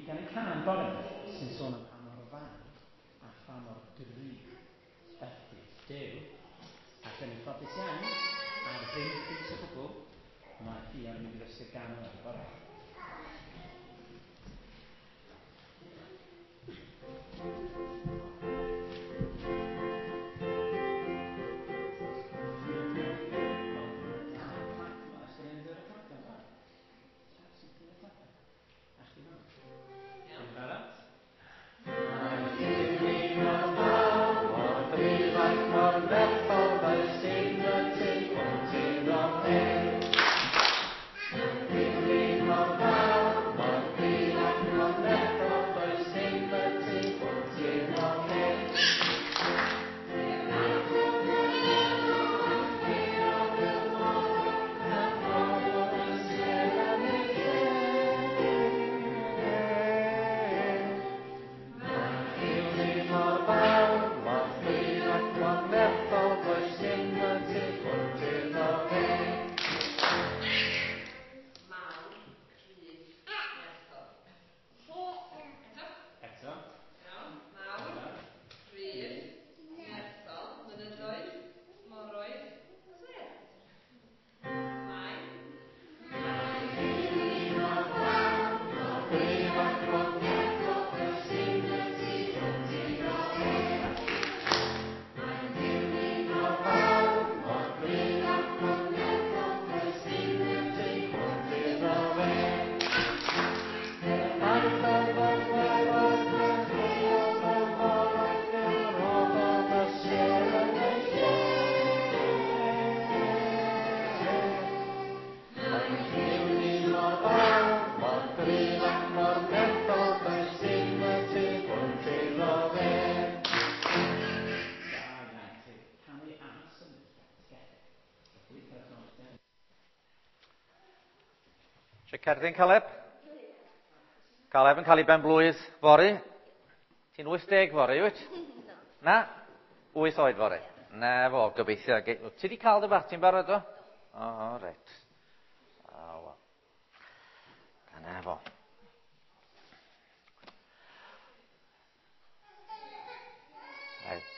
Ni'n ganu cân bore 'ma sy'n sôn am pa mor fawr a pha mor gryf ydy Duw. Ac yn ffodus iawn, ar ddim pris o gwbl, mae Ffion yn mynd i ddysgu'r gân yma bore. Cerdyn Caleb? Caleb yn cael ei ben blwydd fory. Ti'n 80 fory, wyt? Na? 8 oed fory. Na fo, gobeithio. Ti wedi cael dy barti'n barod o? O, reit. O, wel. Dyna fo. Reit.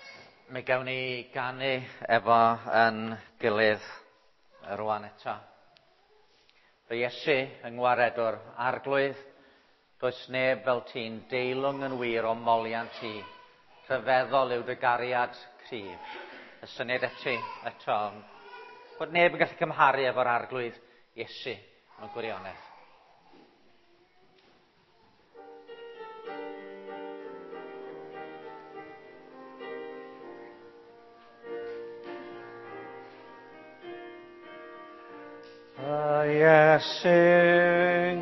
Mi gawn ni ganu efo yn gilydd rwan eto. Fy Iesu yng ngwared o'r Arglwydd, does neb fel ti'n deilwng yn wir o moliant ti. Rhyfeddol yw dy gariad cryf. Y syniad eto, bod neb yn gallu cymharu efo'r Arglwydd Iesu mewn gwirionedd. Iesu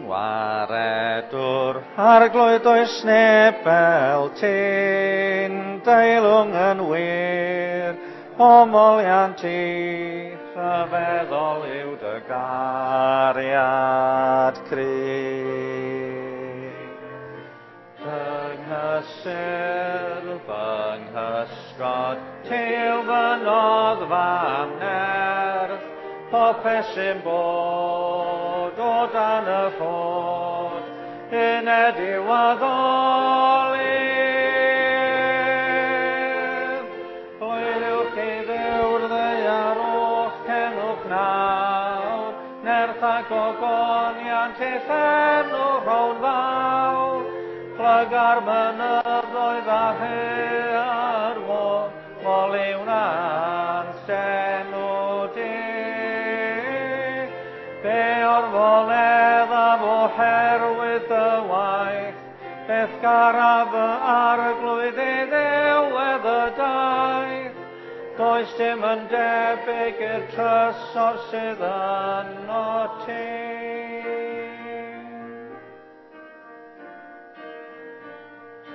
ngwaredwr, Arglwydd does neb fel ti'n, deilwng yn wir, o moliant ti, rhyfeddol yw dy gariad cryf. Fy nghysur, fy nghysgod, ti yw fy noddfa am nerth, popeth sy'n bod o dan y rhod, uned i'w addoli. Hwyliwch i Dduw'r ddaear o'ch cenwch nawr, nerth ac ogoniant eich enw rhown fawr, plyga'r mynyddoedd a haearn môr, moliwn enw di. Fe orfoledd am oherwydd dy waith, beth garaf fy Arglwydd i ddiwedd y daith. Does dim yn debyg i'r trysor sydd yno ti.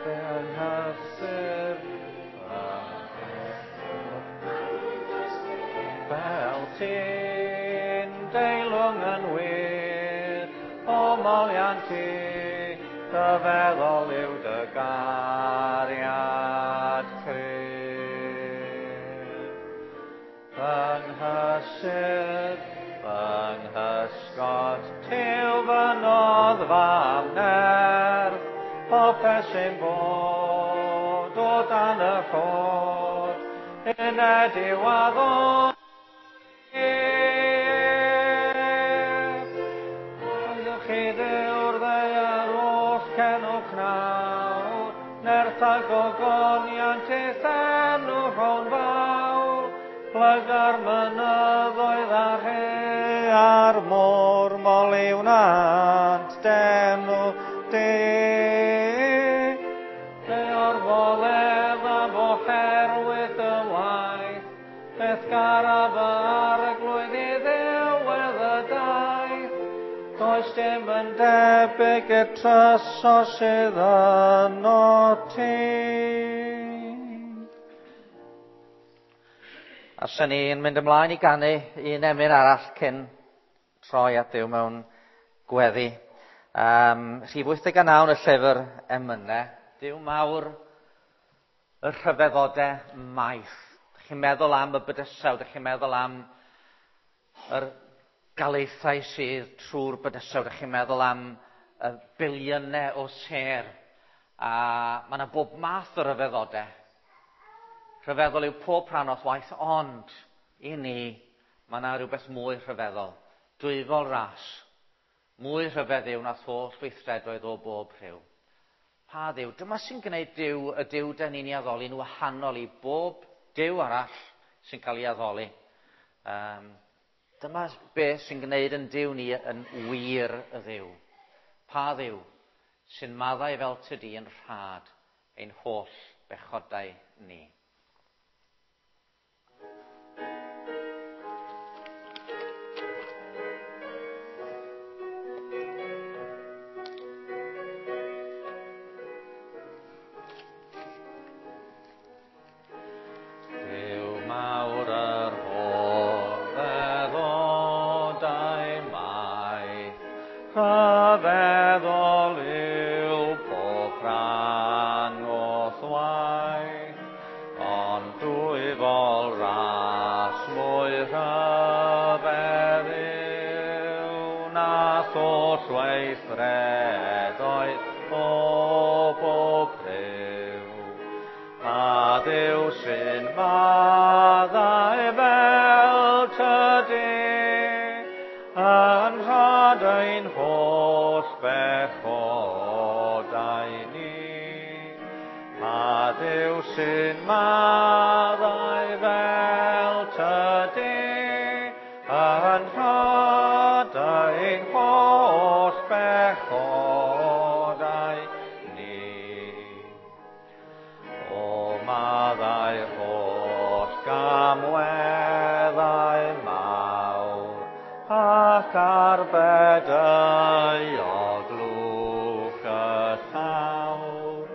Fe nghysur fel ti'n deilwng yn wir, o moliant ti, dy feddwl yw dy gariad cryf. Fy nghysur, fy nghysgod, ti yw fy noddfa am nerth, Popeth sy'n bod o dan y rhod, uned i'w addoli. Oeddwch chi Dduw'r ddaear oll cenwch nawr, nerth a gogoniant eith enw rhown fawr, plyga'r mynyddoedd a'r he a'r môr, moli wnant d'enw di. Lle orfoledd am oherwydd dy waith, beth garaf fy arglwydd i ddiwedd y daith. Does dim yn debyg i'r trysor sydd yno ti. A sy'n ni'n mynd ymlaen i ganu un emyn arall cyn troi at Dduw mewn gweddi. Rhif 89 yn y llyfr emynau. Duw mawr y rhyfeddodau maith. Dych chi'n meddwl am y bydysawd, dych chi'n meddwl am yr galaethau sydd trwy'r bydysawd, dych chi'n meddwl am y biliynau o sêr. A mae yna bob math o ryfeddodau. Rhyfeddol yw pob rhan o'th waith, ond i ni, mae yna rhywbeth mwy rhyfeddol. Dwyfol ras. Mwy rhyfedd yw nath holl weithredoedd o bob rhyw. Pa Dduw? Dyma sy'n gwneud Duw, y Duw dan ni'n ei addoli'n wahanol i bob Duw arall sy'n cael ei addoli. Dyma beth sy'n gwneud yn Duw ni yn wir y Dduw. Pa Dduw sy'n maddau fel tydi yn rhad ein holl bechodau ni. Duw mawr yr rhyfeddodau maith, rhyfeddol yw pob rhan o'th waith, ond dwyfol ras mwy rhyfedd yw nath holl weithredoedd o bob rhyw. Pa Dduw sy'n maddau fel tydi, yn rhad ein holl bechodau ni. Pa Dduw sy'n maddau fel tydi, yn rhad ein holl bechodau ni. O maddau holl gamweddau mawr, ac arbed euog lwch y llawr,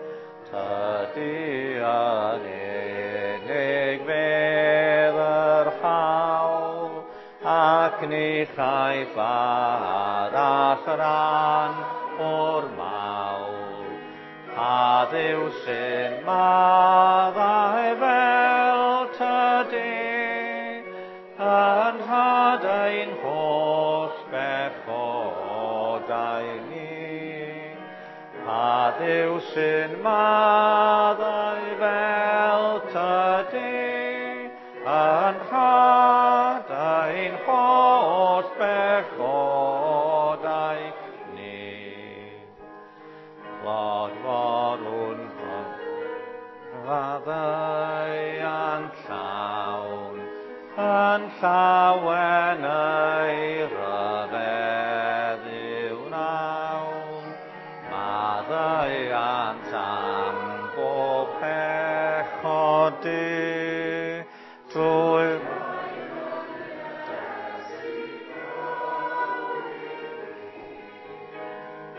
tydi yn unig fedd yr hawl, ac ni chaiff arall ran o'r mawl. Pa Dduw sy'n maddau fel tydi, yn rhad ein holl bechodau ni. Pa Dduw sy'n maddau fel tydi, yn rhad ein holl bechodau ni. Clodforwn faddeuant llawn, yn llawen ei ryfedd yw nawn. Maddeuant am bob pechod du, drwy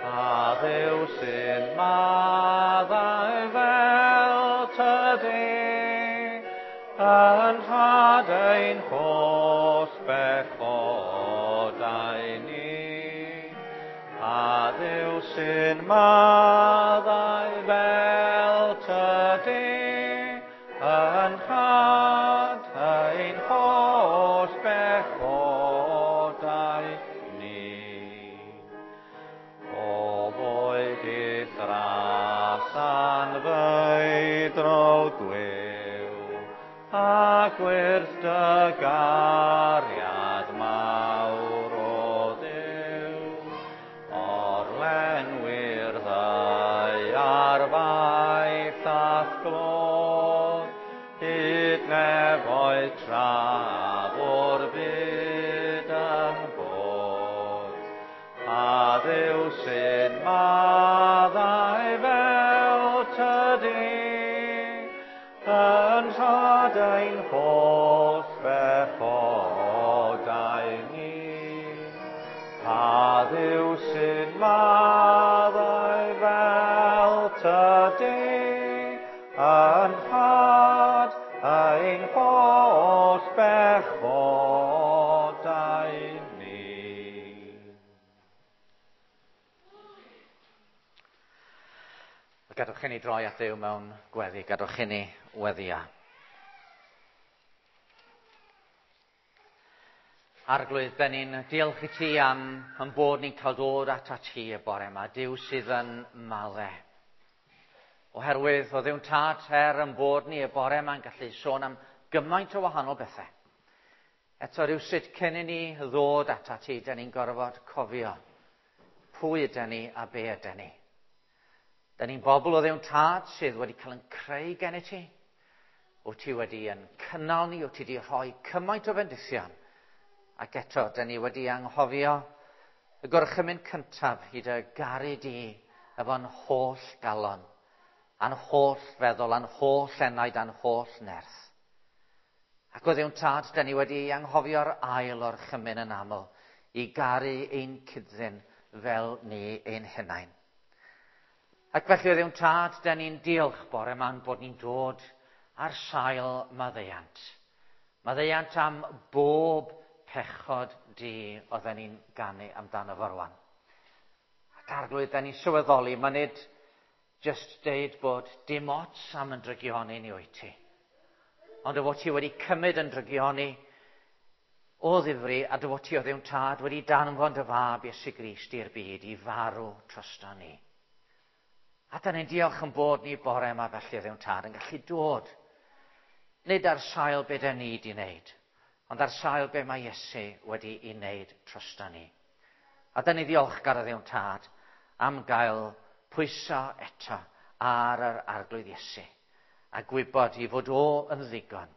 Pa Dduw sy'n maddau fel tydi, yn rhad ein holl bechodau ni. Pa Dduw sy'n maddau fel tydi, yn rhad ein holl bechodau ni. O boed i'th Pa Dduw sy'n maddau fel tydi, yn rhad ein holl bechodau ni. Pa Dduw sy'n maddau fel tydi, yn rhad ein holl bechodau ni. Gadwch i ni droi at Dduw mewn gweddi, gadwch i ni weddio. Arglwydd, da ni'n diolch i ti am yn bod ni'n cael dod atat ti y bore yma, Duw sydd yn maddau. Oherwydd o Dduw'n Tad, er yn bod ni y bore yma'n gallu sôn am gymaint o wahanol bethau. Eto rhywsut cyn i ni ddod atat ti, da ni'n gorfod cofio pwy ydan ni a be ydan ni. Da ni'n bobl o Dduw'n Tad sydd wedi cael yn creu gen i ti. Wyt ti wedi yn cynnal ni, wyt ti wedi rhoi cymaint o fendithion. Ac eto, da ni wedi anghofio y gorchymyn cyntaf i dy garu di efo'n holl galon, a'n holl feddwl, a'n holl enaid, a'n holl nerth. Ac o Dduw'n Tad, da ni wedi anghofio'r ail orchymyn yn aml i garu ein cyddyn fel ni ein hunain. Ac felly o Dduw'n Tad, da ni'n diolch bore yma'n bod ni'n dod ar sail maddeuant. Maddeuant am bob pechod di oedden ni'n ganu amdano fo rwan. Ac Arglwydd, da ni'n sylweddoli, mae nid just deud bod dim ots am yn drygioni ni wyt ti. Ond dy fod ti wedi cymryd yn drygioni o ddifri, a dy fod ti o Dduw'n Tad wedi danfon dy fab Iesu Grist i'r byd i farw drosto ni. A da ni'n diolch yn bod ni bore yma felly o Dduw'n Tad yn gallu dod. Nid ar sail be da ni di wneud, ond ar sail be mae Iesu wedi i wneud drosto ni. A da ni ddiolchgar o Dduw'n Tad am gael pwyso eto ar yr Arglwydd Iesu. A gwybod i fod o yn ddigon.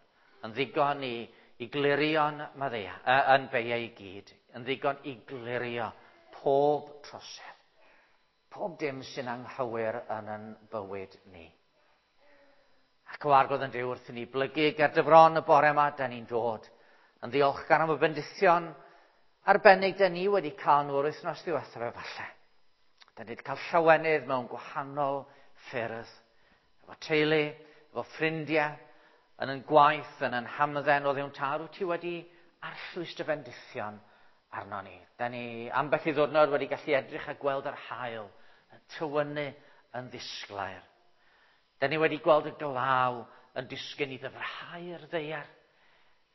Yn ddigon i glirio'n maddea, yn beiau i gyd. Yn ddigon i glirio pob trosedd. Pob dim sy'n anghywir yn yn bywyd ni. Ac o Arglwydd yn Duw, wrth i ni blygu ger dy fron y bore yma, da ni'n dod yn ddiolchgar am y bendithion arbennig da ni wedi cael nhw yr wythnos ddiwethaf efallai. Da ni wedi cael llawenydd mewn gwahanol ffyrdd. Efo teulu, efo ffrindiau, yn yn gwaith, yn yn hamdden o Dduw'n Tad, wyt ti wedi arllwys dy fendithion arno ni. Da ni ambell i ddwrnod wedi gallu edrych a gweld yr haul yn tywynnu yn ddisglair. Da ni wedi gweld y glaw yn disgyn i ddyfrhau'r ddaear.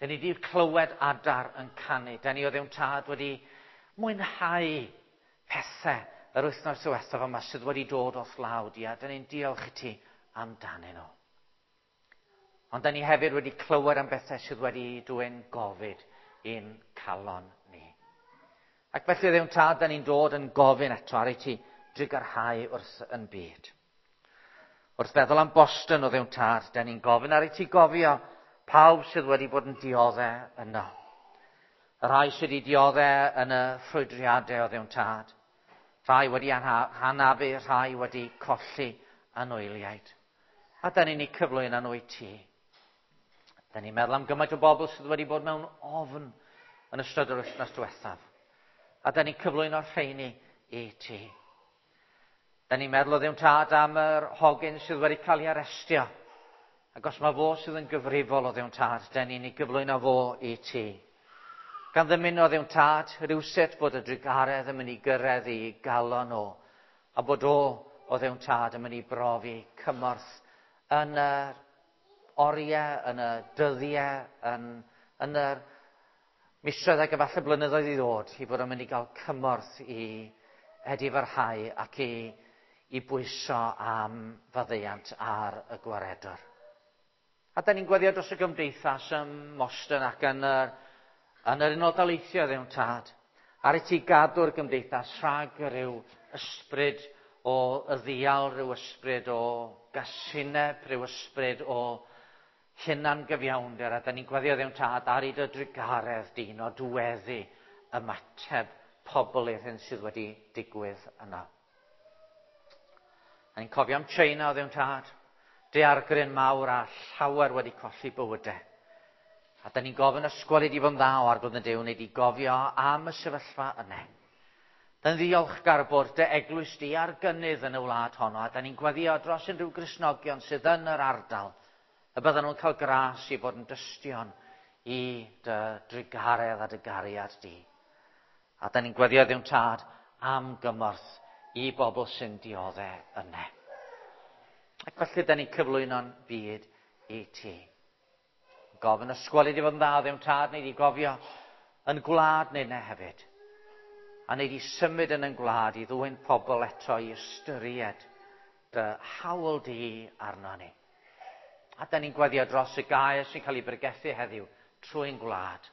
Da ni wedi clywed adar yn canu. Da ni o Dduw'n Tad wedi mwynhau pethau yr wythnos diwethaf yma sydd wedi dod o'th law di, a da ni'n diolch i ti amdanyn nhw. Ond da ni hefyd wedi clywed am bethau sydd wedi dwyn gofid i'n calon ni. Ac felly Dduw'n Tad, da ni'n dod yn gofyn eto ar i ti drugarhau wrth yn byd. Wrth feddwl am Boston o Dduw'n Tad, da ni'n gofyn ar i ti gofio pawb sydd wedi bod yn dioddau yno. Y rhai sydd wedi dioddau yn y ffrwydriadau o Dduw'n Tad. Rhai wedi hanafu, rhai wedi colli anwyliaid. A da ni'n ei cyflwyno nhw i ti. Da ni'n meddwl am gymaint o bobl sydd wedi bod mewn ofn yn ystod yr wythnos diwethaf. A da ni'n cyflwyno'r rheini i ti. Da ni'n meddwl o Dduw'n Tad am yr hogyn sydd wedi cael ei arestio. Ac os mae fo sydd yn gyfrifol o Dduw'n Tad, da ni'n ei gyflwyno fo i ti. Gan ddymuno Dduw'n Tad, rhywsut bod y drugaredd yn mynd i gyrraedd i galon o, a bod o Dduw'n Tad yn mynd i brofi cymorth yn yr oriau, yn y dyddiau, yn yr misoedd ac efallai blynyddoedd i ddod, i fod yn mynd i gael cymorth i edifarhau ac i bwyso am faddeuant ar y gwaredwr. A da ni'n gweddio dros y gymdeithas ym Moston ac yn yr Unol Daleithiau, Dduw'n Tad, ar i ti gadw'r gymdeithas rhag rhyw ysbryd o ddial, rhyw ysbryd o gasineb, rhyw ysbryd o hunan-gyfiawnder, a da ni'n gweddio Dduw'n Tad ar i dy drugaredd di nodweddu ymateb pobl i'r hyn sydd wedi digwydd yna. A ni'n cofio am China o ddiwn tad, daeargryn mawr a llawer wedi colli bywydau. A da ni'n gofyn ysgol i di fod yn dda o arglwydd yn Duw, neu di gofio am y sefyllfa yna. Da ni'n ddiolchgar bod dy eglwys di ar gynnydd yn y wlad honno, a da ni'n gweddio dros unrhyw Gristnogion sydd yn yr ardal, y byddan nhw'n cael gras i fod yn dystion i dy drugaredd a dy gariad di. A da ni'n gweddio ddiwn tad am gymorth i bobl sy'n dioddef yna. Ac felly da ni'n cyflwyno'n byd i ti. Gofyn ysgol i di fod yn dda ddim tad, neu di gofio yn gwlad neu ne hefyd. A neu di symud yn yn gwlad i ddwyn pobl eto i ystyried dy hawl di arno ni. A da ni'n gweddio dros y gair sy'n cael ei bregethu heddiw trwy'n gwlad.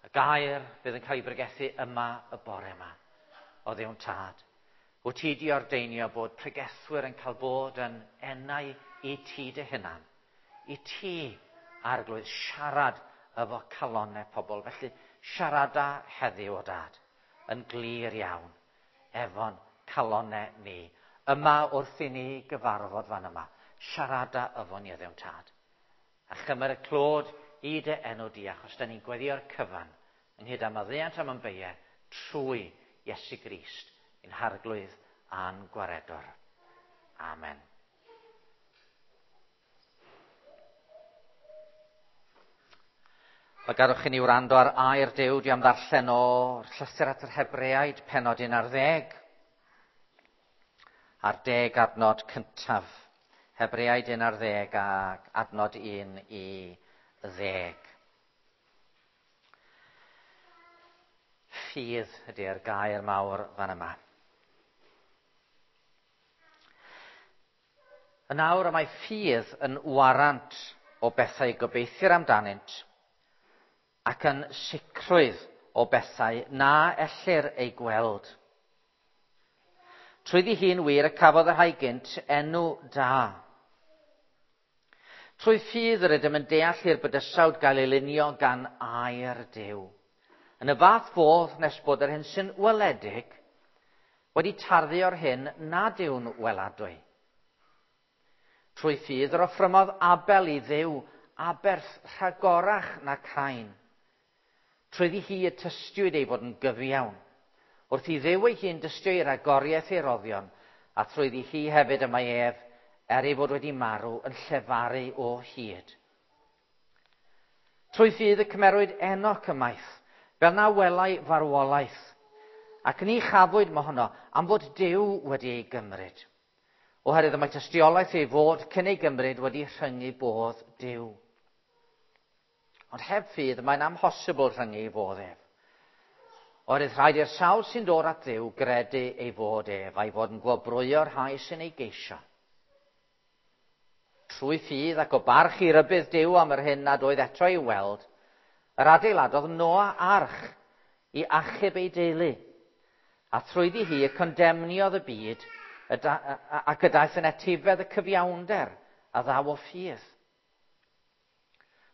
Y gair fydd yn cael ei bregethu yma y bore yma o ddiwn tad. Wyt ti di ordeinio bod pregethwyr yn cael bod yn enau i ti dy hunan. I ti, arglwydd, siarad efo calonau pobl. Felly, siarada heddiw o dad, yn glir iawn, efo'n calonau ni. Yma wrth i ni gyfarfod fan yma, siarada efo ni o ddiwn tad. A chymer y clod i dy enw di, achos da ni'n gweddio'r cyfan, ynghyd â maddeuant am ymbeie, trwy Iesu Grist, ein harglwydd a'n gwaredwr. Amen. Mae gadwch i ni wrando ar air Duw, di am ddarllen o'r llythyr at yr Hebreaid, penod 11, a'r 10 adnod cyntaf. Hebreaid 11 ac adnod 1 i 10. Ffydd ydy'r gair mawr fan yma. Yn awr y mae ffydd yn warant o bethau gobeithir amdanynt ac yn sicrwydd o bethau na ellir eu gweld. Trwyddi hi'n wir y cafodd y rhai gynt enw da. Trwy ffydd yr ydym yn deall i'r bydysawd gael ei lunio gan air Duw. Yn y fath fodd nes bod yr hyn sy'n weledig wedi tarddu o'r hyn nad yw'n weladwy. Trwy ffydd yr offrymodd Abel i Dduw aberth rhagorach na Cain. Trwyddi hi y tystiwyd ei fod yn gyfiawn. Wrth i Dduw ei hun dystio i ragoriaeth ei roddion, a trwyddi hi hefyd y mae ef, er ei fod wedi marw, yn llefaru o hyd. Trwy ffydd y cymerwyd Enoch ymaith, fel na welai farwolaeth, ac ni chafwyd mohono am fod Duw wedi ei gymryd. Oherwydd y mae tystiolaeth ei fod cyn ei gymryd wedi rhyngu bodd Duw. Ond heb ffydd mae'n amhosibl rhyngu ei fodd ef. Oherwydd rhaid i'r sawl sy'n dod at Dduw gredu ei fod ef, a'i fod yn gwobrwyo'r rhai sy'n ei geisio. Trwy ffydd ac o barch i rybudd Duw am yr hyn nad oedd eto ei weld, yr adeiladodd Noa arch i achub ei deulu, a thrwyddi hi y condemniodd y byd ac y daeth yn etifedd y cyfiawnder a ddaw o ffydd.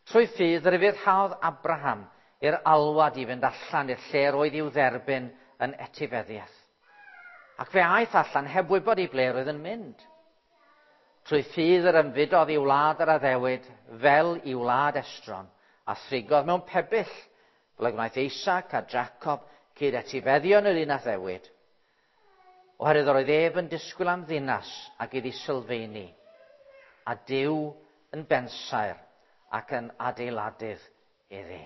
Trwy ffydd ryfuddhaodd Abraham i'r alwad i fynd allan i'r lle roedd i'w dderbyn yn etifeddiaeth. Ac fe aeth allan heb wybod i ble roedd yn mynd. Trwy ffydd yr ymfudodd i wlad yr addewid fel i wlad estron, a thrigodd mewn pebyll, fel y gwnaeth Isaac a Jacob cyd etifeddion yr un addewid. Oherwydd yr oedd ef yn disgwyl am ddinas ac iddi sylfaeni, a Duw yn bensaer ac yn adeiladydd iddi.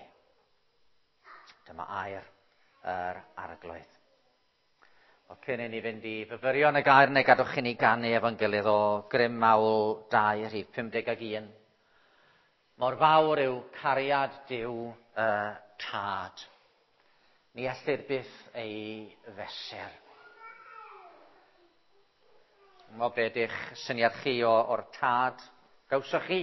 Dyma air yr arglwydd. O, cyn i ni fynd i fyfyrio yn y gair, neu gadwch i ni ganu efo'n gilydd o Grym Mawl 2, rhif 51. Mor fawr yw cariad Duw y Tad. Ni ellir byth ei fesur. Mo be ydych syniad chi o'r tad gawsoch chi?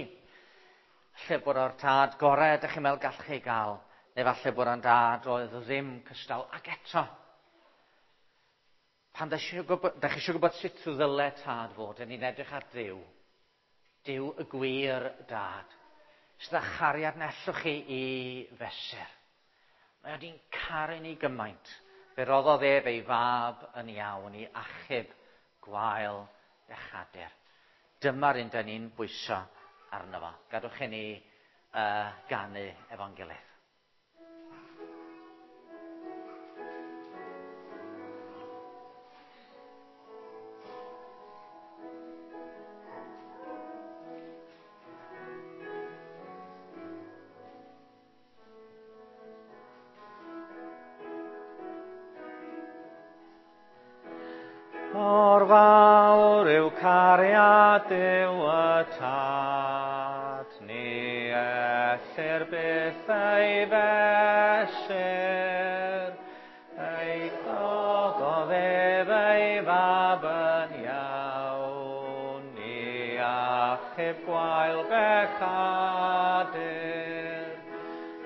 Lle bod o'r tad gorau ydych chi'n meddwl gallwch chi gael, neu falle bod o'n dad oedd ddim cystal, ac eto. Pan da chi eisiau gwybod sut ddyle tad fod, yn ni'n edrych ar Dduw. Duw y gwir dad, sydd â chariad na ellwch chi i fesur. Mae wedi'n caru ni gymaint Fe roddodd ef ei fab yn iawn i achub gwael bechadur. Dyma'r un da ni'n bwyso arno fo. Gadwch i ni ganu efo'n gilydd. Mor fawr yw cariad Duw y Tad, ni ellir byth ei fesur, ei roddodd ef ei fab yn iawn, ni achub gwael bechadur.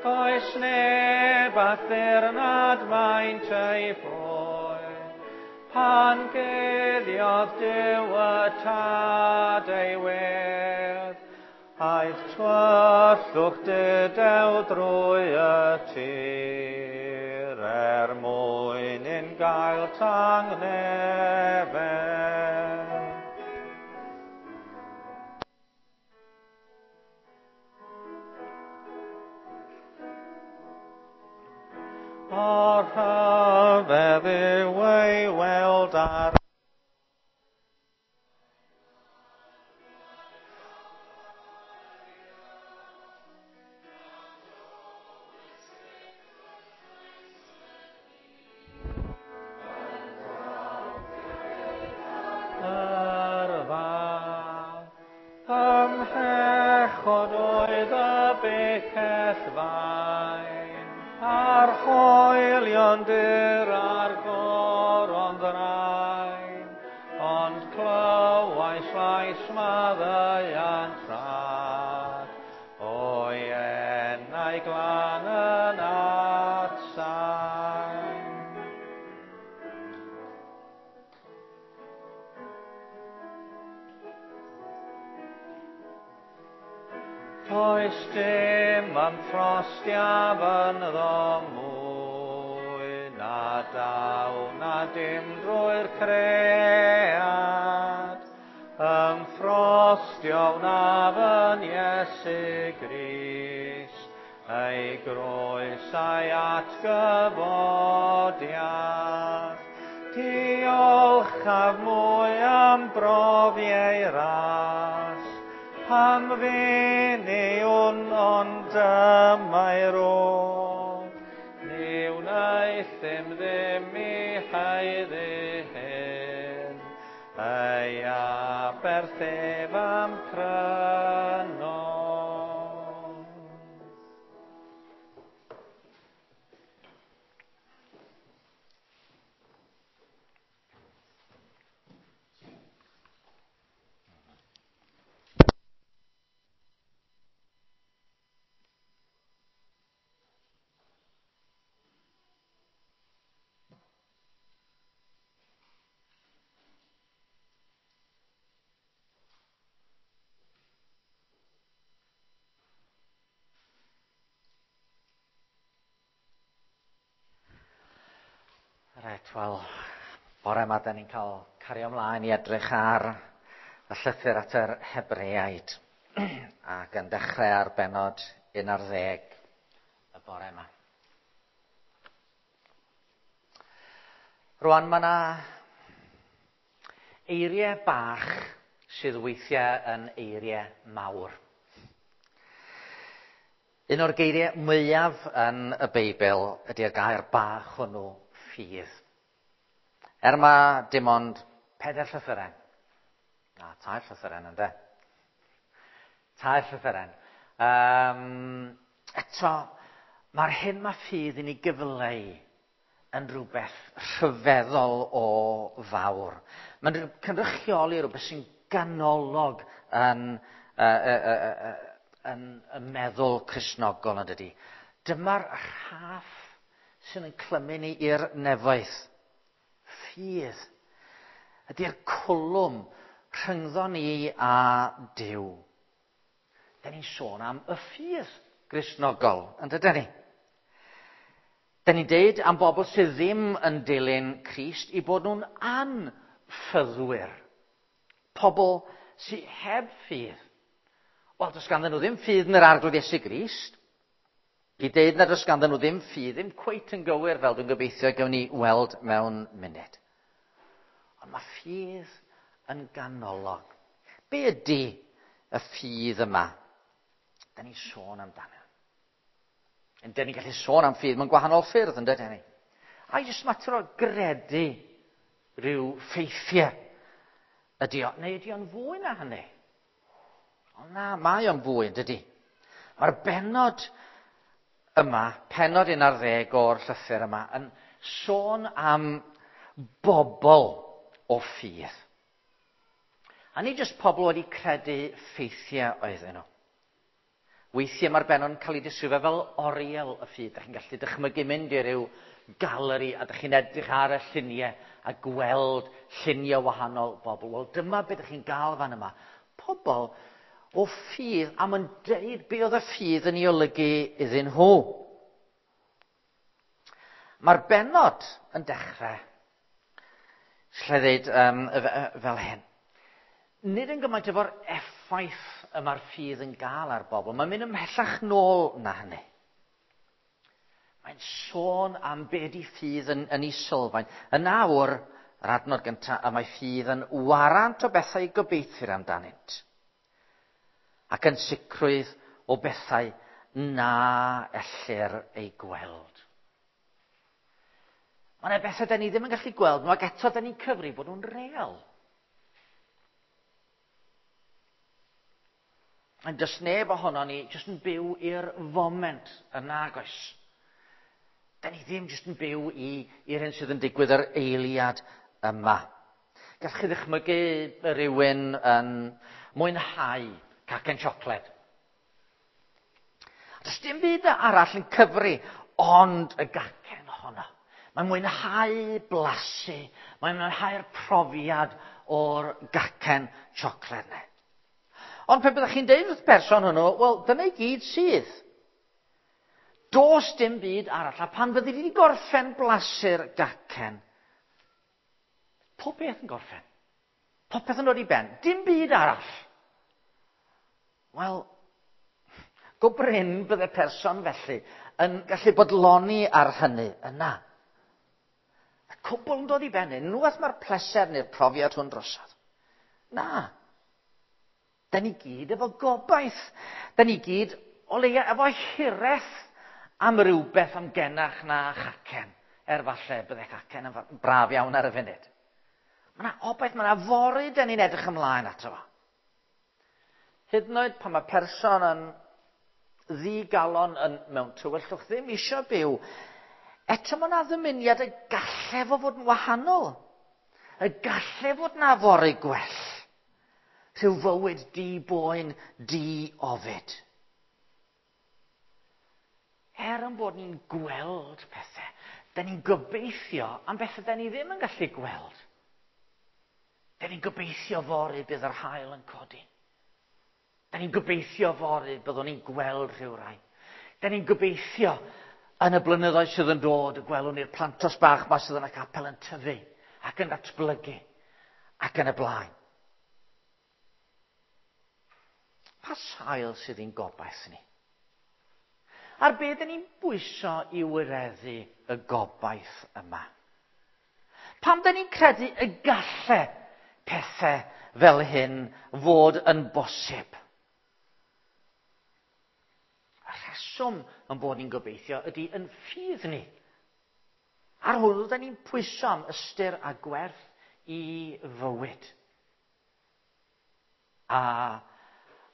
Does neb a ddirnad maint ei boen, pan guddiodd Duw y Tad ei wedd, aeth tywyllwch dudew drwy y tir, er mwyn un gael tangnefedd. O'r rhyfedd yw ei weld ar yrfa. Ymhechod oedd y bicell fain, a'r hoelion dur a'r goron ddrain, ond clywais lais maddeuant rhad, o'i enau glân yn atsain. Does dim ymffrostiaf ynddo mwy, na daw na dim drwy'r cread. Ymffrostio wnaf yn Iesu Grist, ei groes a'i atgyfodiad. Diolchaf mwy am brofi ei ras, pam fyn i wn ond dyma'i rodd. Ni wnaethum ddim i haeddu hyn, ei aberth ef am prynodd. Reit, wel, bore yma da ni'n cael cario ymlaen i edrych ar y llythyr at yr Hebreaid ac yn dechrau ar bennod 11 y bore yma. Rwan, mae yna eiriau bach sydd weithiau yn eiriau mawr. Un o'r geiriau mwyaf yn y Beibl ydy'r gair bach hwnnw, ffydd. Er ma dim ond 4 llythyren. Na, 3 llythyren ynde. 3 llythyren. Eto, mae'r hyn mae ffydd i ni gyfleu yn rhywbeth rhyfeddol o fawr. Mae'n cynrychioli rhywbeth sy'n ganolog yn y meddwl Cristnogol, yn dydi. Dyma'r rhaff sy'n yn clymu ni i'r nefoedd. Ffydd ydy'r cwlwm rhyngddo ni a Duw. Da ni'n sôn am y ffydd Gristnogol, yn dydyn ni? Da ni'n deud am bobl sydd ddim yn dilyn Crist i bod nhw'n anffyddwyr. Pobl sydd heb ffydd. Wel, does ganddyn nhw ddim ffydd yn yr Arglwydd Iesu Grist. I deud nad oes ganddyn nhw ddim ffydd, ddim cweit yn gywir fel dwi'n gobeithio gawn ni weld mewn munud. Ond mae ffydd yn ganolog. Be ydy y ffydd yma? Da ni'n sôn amdano. Yn ni'n gallu sôn am ffydd mewn gwahanol ffyrdd, yn dydyn ni? A jyst mater o gredu rhyw ffeithiau ydy o, neu ydy o'n fwy na hynny? O na, mae o'n fwy, yn dydy? Mae'r bennod yma, pennod 11 o'r llythyr yma, yn sôn am bobl o ffydd. A nid jyst pobl wedi credu ffeithiau oedden nhw. Weithiau mae'r bennod yn cael ei disgrifio fel oriel y ffydd. Dach chi'n gallu dychmygu mynd i ryw galeri a dych chi'n edrych ar y lluniau a gweld lluniau wahanol bobl. Wel, dyma beth dych chi'n gael fan yma. Pobl o ffydd am yn deud be oedd y ffydd yn ei olygu iddyn nhw. Mae'r bennod yn dechrau, lle ddeud fel hyn. Nid yn gymaint efo'r effaith y mae'r ffydd yn gael ar bobl. Mae'n mynd ymhellach nôl na hynny. Mae'n sôn am be di ffydd yn ei sylfaen. Yn awr, yr adnod gyntaf, y mae ffydd yn warant o bethau gobeithir amdanynt. Ac yn sicrwydd o bethau na ellir ei gweld. Mae yna bethau da ni ddim yn gallu gweld, ac eto da ni'n cyfri bod nhw'n real. Yn does neb ohono ni jyst yn byw i'r foment yn nagoes. Da ni ddim jyst yn byw i'r hyn sydd yn digwydd yr eiliad yma. Gallwch chi ddychmygu rhywun yn mwynhau cacen siocled. Does dim byd arall yn cyfri ond y gacen ohono. Mae'n mwynhau blasu, mae'n mwynhau'r profiad o'r gacen siocled yna. Ond pe byddech chi'n deud wrth person hwnnw, wel, dyna i gyd sydd. Does dim byd arall, a pan fyddi di gorffen blasu'r gacen, pob beth yn gorffen. Popeth yn dod i ben. Dim byd arall. Wel, go brin bydde person felly yn gallu bodloni ar hynny yna. Y cwbl yn dod i ben, unwaith mae'r pleser neu'r profiad hwn drosodd. Na. Da ni gyd efo gobaith. Da ni gyd o leia efo hiraeth am rywbeth amgenach na chacen. Er falle bydde cacen yn braf iawn ar y funud. Mae yna obaith, mae yna fory da ni'n edrych ymlaen ato fo. Hyd yn oed pan mae person yn ddigalon yn mewn tywyllwch ddim eisiau byw, eto mae yna ddymuniad y galle fo fod yn wahanol. Y galle fod na fory gwell. Rhyw fywyd di-boen, di-ofid. Er yn bod ni'n gweld pethau, da ni'n gobeithio am bethau da ni ddim yn gallu gweld. Da ni'n gobeithio fory bydd yr haul yn codi. Da ni'n gobeithio fory byddwn ni'n gweld rhywrai. Da ni'n gobeithio yn y blynyddoedd sydd yn dod y gwelwn ni'r plantos bach ma sydd yn y capel yn tyfu ac yn datblygu ac yn y blaen. Pa sail sydd i'n gobaith ni? A'r be dyn ni'n bwyso i wireddu y gobaith yma? Pam dyn ni'n credu y galle pethau fel hyn fod yn bosib? Y rheswm yn bod ni'n gobeithio ydy yn ffydd ni. Ar hwnnw dyn ni'n pwyso am ystyr a gwerth i fywyd. A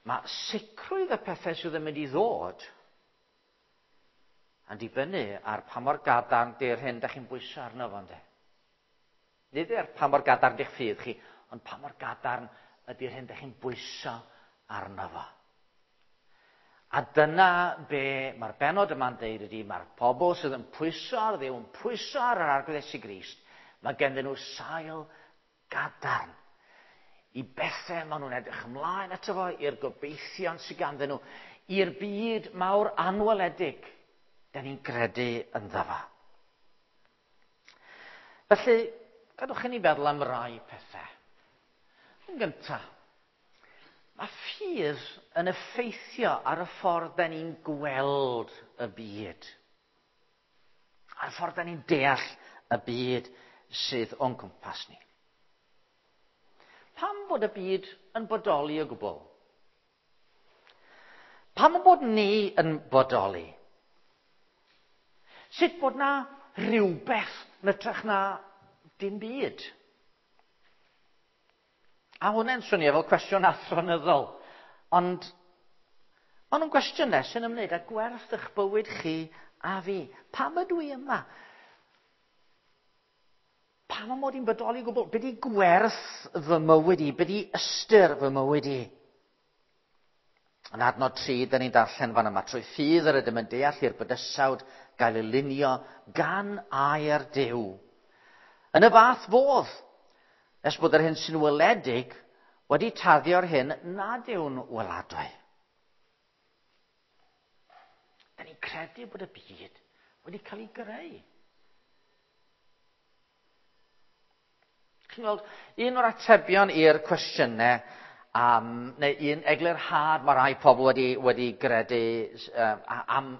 mae sicrwydd y pethau sydd yn mynd i ddod yn dibynnu ar pa mor gadarn di'r hyn da chi'n bwyso arno fo, ynde? Nid ar pa mor gadarn di'ch ffydd chi, ond pa mor gadarn ydy'r hyn da chi'n bwyso arno fo. A dyna be mae'r bennod yma'n deud ydy, mae'r pobl sydd yn pwyso ar Dduw, yn pwyso ar yr Arglwydd Iesu Grist, mae ganddyn nhw sail gadarn i bethau maen nhw'n edrych ymlaen ato fo, i'r gobeithion sydd ganddyn nhw, i'r byd mawr anweledig, da ni'n credu ynddo fo. Felly, gadwch i ni feddwl am rai pethau. Yn gyntaf, mae ffydd yn effeithio ar y ffordd da ni'n gweld y byd. Ar y ffordd da ni'n deall y byd sydd o'n cwmpas ni. Pam bod y byd yn bodoli o gwbl? Pam bod ni yn bodoli? Sut bod na rhywbeth yn hytrach na dim byd? A hwnna'n swnio fel cwestiwn athronyddol, ond maen nhw'n gwestiynau sy'n ymwneud â gwerth eich bywyd chi a fi. Pam ydw i yma? Pam y mod i'n bodoli o gwbl? Be di gwerth fy mywyd i? Be di ystyr fy mywyd i? Yn adnod 3, da ni'n darllen fan yma, trwy ffydd yr ydym yn deall i'r bydysawd gael ei lunio gan air Duw. Yn y fath fodd, nes bod yr hyn sy'n weledig wedi taddio'r hyn nad yw'n weladwy. Da ni'n credu bod y byd wedi cael ei greu. Chi'n gweld, un o'r atebion i'r cwestiynau, neu un eglurhad mae rai pobl wedi gredu am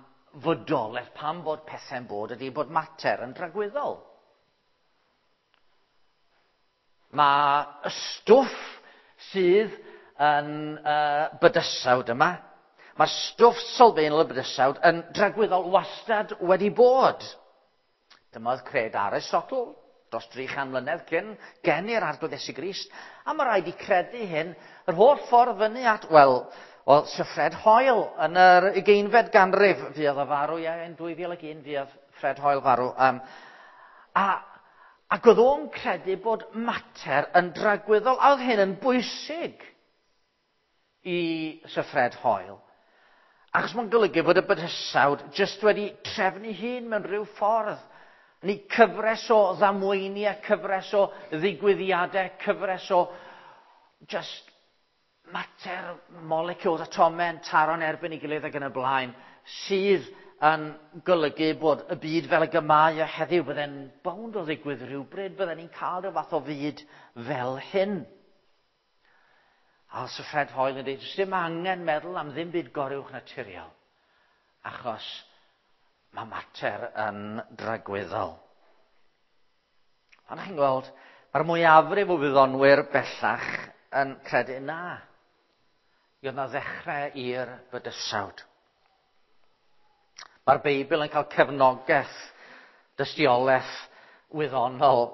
fodolaeth, pam bod pethau'n bod, ydy bod mater yn dragwyddol. Mae y stwff sydd yn bydysawd yma, mae stwff sylfaenol y bydysawd yn dragwyddol wastad wedi bod. Dyma oedd cred Aristotle dros 300 mlynedd cyn geni'r Arglwydd Iesu Grist. A mae rhaid i credu hyn yr holl ffordd fyny at, wel, Sir Fred Hoyle yn yr 20fed ganrif fuodd o farw, ie, yn 2001 fuodd Fred Hoyle farw. Ac oedd o'n credu bod mater yn dragwyddol, a oedd hyn yn bwysig i Sir Fred Hoyle. Achos mae'n golygu bod y bydysawd jyst wedi trefnu hun mewn rhyw ffordd. Ni cyfres o ddamweiniau, cyfres o ddigwyddiadau, cyfres o just mater, molecules, atomau yn taro'n erbyn ei gilydd ac yn y blaen, sydd yn golygu bod y byd fel y gymau o heddiw, bydde'n bownd o ddigwydd rhywbryd, bydden ni'n cael rhyw fath o fyd fel hyn. A Sir Fred Hoyle yn dweud, does dim angen meddwl am ddim byd goruwch naturiol, achos mae mater yn dragwyddol. Ond chi'n gweld, mae'r mwyafrif o wyddonwyr bellach yn credu na. I oedd na ddechrau i'r bydysawd. Mae'r Beibl yn cael cefnogaeth, dystiolaeth wyddonol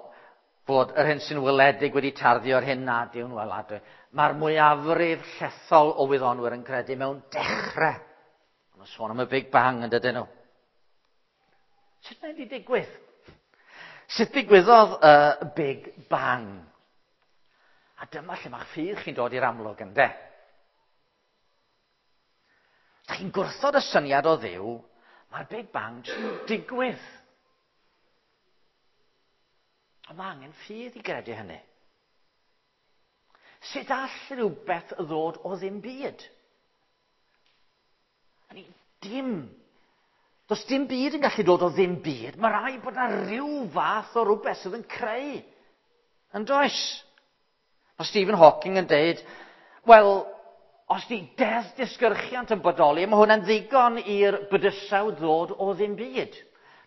bod yr hyn sy'n weledig wedi tarddu o'r hyn nad yw'n weladwy. Mae'r mwyafrif llethol o wyddonwyr yn credu mewn dechrau. Maen nhw'n sôn am y Big Bang yn dydyn nhw. Sut mae'n wedi digwydd? Sut digwyddodd y Big Bang? A dyma lle mae'ch ffydd chi'n dod i'r amlwg, ynde? Os chi'n gwrthod y syniad o Dduw, mae'r Big Bang jyst yn digwydd. Ond mae angen ffydd i gredu hynny. Sut all rhywbeth ddod o ddim byd? Dim. Does dim byd yn gallu dod o ddim byd. Mae rhaid bod yna rhyw fath o rhywbeth sydd yn creu. Yn does? Mae Stephen Hawking yn deud, wel, os di deddf disgyrchiant yn bodoli, mae hwnna'n ddigon i'r bydysawd ddod o ddim byd.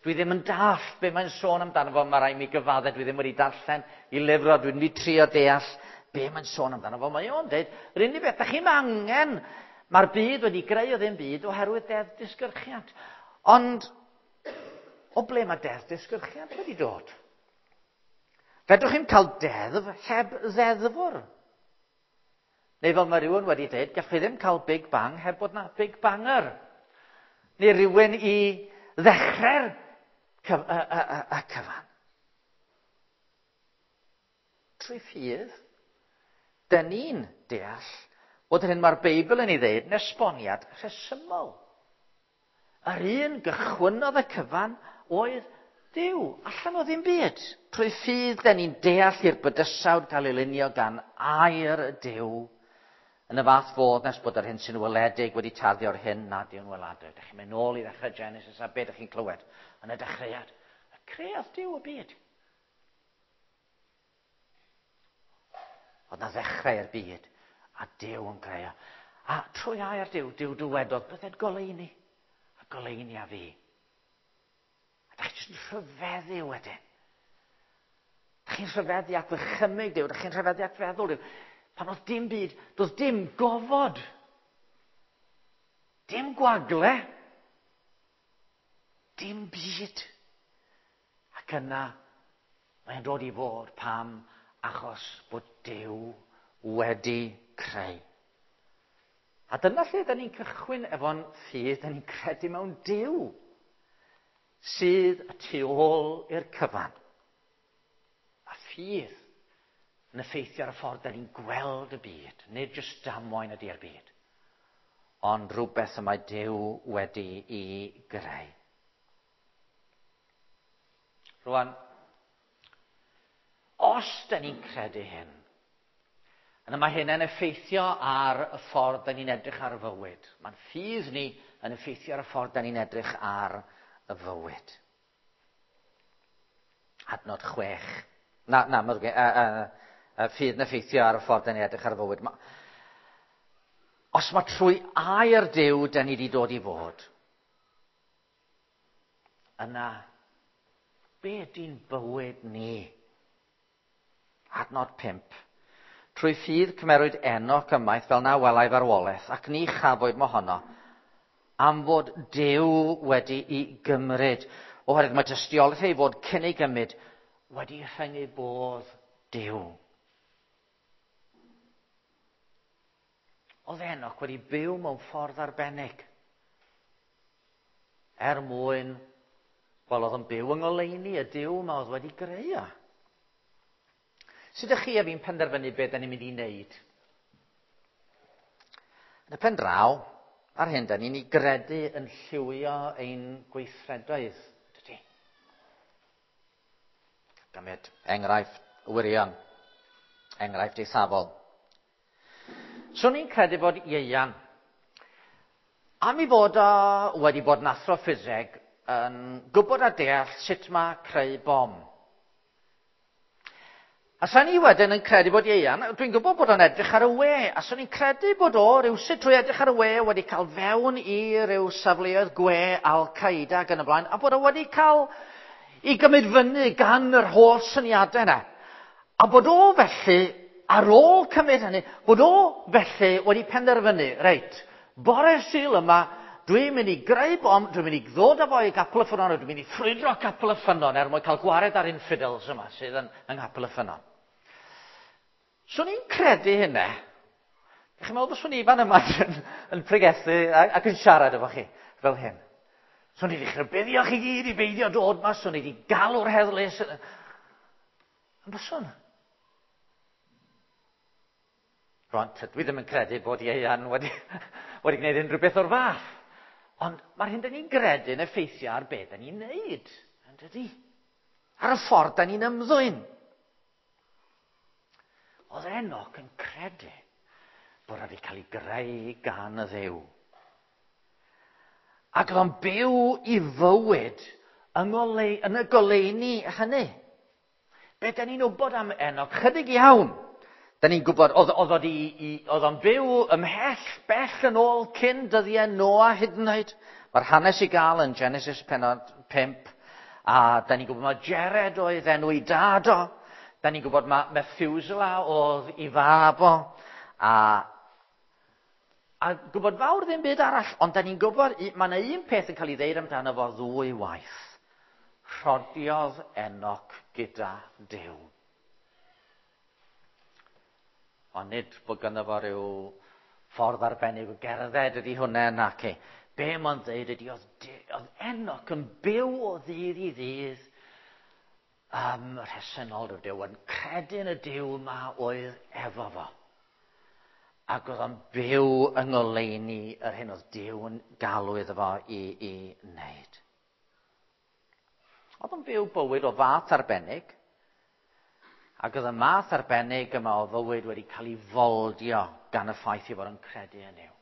Dwi ddim yn dallt be mae'n sôn amdano fo, mae rhaid mi gyfadde, dwi ddim wedi darllen i lyfr o, dwi'n wedi trio deall be mae'n sôn amdano fo. Mae o'n deud, yr unig beth, da chi'm angen, mae'r byd wedi greu o ddim byd oherwydd deddf disgyrchiant. Ond, o ble mae deddf disgyrchiant wedi dod? Fedrwch chi'm cael deddf heb ddeddfwr. Neu fel mae rhywun wedi dweud, gallwch chi ddim cael Big Bang heb bod na Big Banger. Neu rhywun i ddechrau'r y cyfan. Trwy ffydd, dyn ni'n deall bod yr hyn mae'r Beibl yn ei ddeud yn esboniad rhesymol. Yr un gychwynnodd y cyfan oedd Duw, allan o ddim byd. Trwy ffydd, dyn ni'n deall i'r bydysawd gael ei lunio gan air Duw yn y fath fodd nes bod yr hyn sy'n weledig wedi tarddu o'r hyn nad yw'n weladwy. Dych chi'n mynd nôl i ddechrau Genesis a be dych chi'n clywed yn y dechreuad. Y creodd Duw y byd. Oedd na ddechrau i'r byd, a Duw yn creu o. A trwy air Duw, Duw dywedodd, bydded goleuni, a goleuni a fi. A da chi jyst yn rhyfeddu wedyn. Da chi'n rhyfeddu at ddychymyg Duw, da chi'n rhyfeddu at feddwl Duw. Pan oedd dim byd, doedd dim gofod. Dim gwagle. Dim byd. Ac yna, mae'n dod i fod pam achos bod Duw wedi creu. A dyna lle da ni'n cychwyn efo'n ffydd, da ni'n credu mewn Duw sydd y tu ôl i'r cyfan. A ffydd yn effeithio ar y ffordd da ni'n gweld y byd, nid jyst damwain ydy'r byd, ond rhywbeth y mae Duw wedi i greu. Rwan, os da ni'n credu hyn, yna mae hyn yn effeithio ar y ffordd da ni'n edrych ar y fywyd. Mae'n ffydd ni yn effeithio ar y ffordd da ni'n edrych ar y fywyd. Adnod 6. Na, na, mae ffydd yn effeithio ar y ffordd da ni'n edrych ar y fywyd. Os mae trwy air Duw da ni wedi dod i fod, yna, be ydy'n bywyd ni? Adnod 5. Trwy ffydd cymerwyd Enoch ymaith fel na welai farwolaeth, ac ni chafwyd mohono, am fod Duw wedi'i gymryd, oherwydd mae tystiolaeth ei fod cyn ei gymryd wedi rhyngu bodd Duw. Oedd Enoch wedi byw mewn ffordd arbennig. Er mwyn, wel, oedd yn byw yng ngoleuni y Duw yma oedd wedi greu o. Sut ydych chi a fi'n penderfynu beth da ni'n mynd i wneud? Yn y pen draw, ar hyn, da ni'n ei gredu yn lliwio ein gweithredoedd, dydy? Gymryd enghraifft wirion, enghraifft eithafol. Swn i'n credu bod Ieuan, am ei fod o wedi bod yn athro ffiseg, yn gwybod a deall sut mae creu bom. A sa'n i wedyn yn credu bod Ieuan, dwi'n gwybod bod o'n edrych ar y we, a sa'n i'n credu bod o rywsut trwy edrych ar y we wedi cael fewn i ryw safleoedd gwe Al-Qaeda ac yn y blaen, a bod o wedi cael i gymryd fyny gan yr holl syniadau yna. A bod o felly, ar ôl cymryd hynny, bod o felly wedi penderfynu, reit, bore Sul yma, dwi'n mynd i greu bom, dwi'n mynd i ddod â fo i Gapel y Ffynnon, dwi'n mynd i ffrwydro Capel y Ffynnon er mwyn cael gwared ar infidels yma sydd yn yng Nghapel y Ffynnon. Swn i'n credu hynna. Chi'n meddwl bod swn i fan yma yn pregethu ac yn siarad efo chi fel hyn? Swn i wedi rhybuddio chi gyd i beidio dod ma, swn i wedi galw'r heddlu. Yn byswn? Rwan, dwi ddim yn credu bod Ieuan wedi gwneud unrhyw beth o'r fath. Ond mae'r hyn da ni'n gredu yn effeithio ar beth da ni'n neud, yn dydi? Ar y ffordd da ni'n ymddwyn. Oedd Enoch yn credu bod wedi cael ei greu gan y Dduw. Ac oedd o'n byw i fywyd yn y goleuni hynny. Be da ni'n wybod am Enoch? Chydig iawn. Da ni'n gwybod, oedd o'n byw ymhell bell yn ôl cyn dyddiau Noa hyd yn oed. Mae'r hanes i gael yn Genesis pennod 5. A da ni'n gwybod mae Jared oedd enw ei dad o. Da ni'n gwybod mae Methuselah oedd ei fab o. A gwybod fawr ddim byd arall, ond da ni'n gwybod, mae yna un peth yn cael ei ddeud amdano fo ddwy waith. Rhodiodd Enoch gyda Duw. Ond nid bod ganddo fo rhyw ffordd arbennig o gerdded ydy hwnna, nac e. Be mae'n dweud ydy, oedd Enoch yn byw o ddydd i ddydd rhesynol Duw, yn credu yn y Duw yma oedd efo fo. Ac oedd o'n byw yng ngoleuni yr hyn oedd Duw yn galw iddo fo i wneud. Oedd o'n byw bywyd o fath arbennig, ac oedd y math arbennig yma o fywyd wedi cael ei foldio gan y ffaith ei fod yn credu yn Nuw.